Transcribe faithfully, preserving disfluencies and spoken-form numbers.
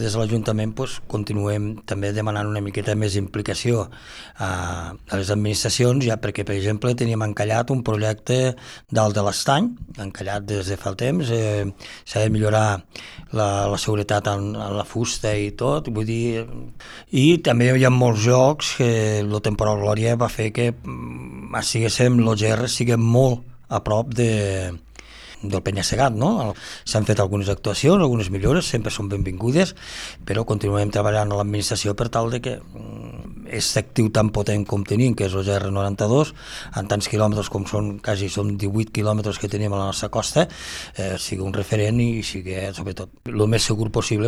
Des de l'Ajuntament doncs, continuem també demanant una miqueta més implicació a, a les administracions, ja perquè, per exemple, teníem encallat un projecte dalt de l'Estany, encallat des de fa temps, eh, s'ha de millorar la, la seguretat en, en la fusta i tot, vull dir, i també hi ha molts jocs que el temporal Glòria va fer que estiguéssim, l'O G R sigui molt a prop de del penya-segat, no? S'han fet algunes actuacions, algunes millores, sempre són benvingudes, però continuem treballant a l'administració per tal de que aquest actiu tan potent com tenim, que és el G R noranta-dos, en tants quilòmetres com són, quasi són divuit quilòmetres que tenim a la nostra costa, eh, sigui un referent i sigui, sobretot, el més segur possible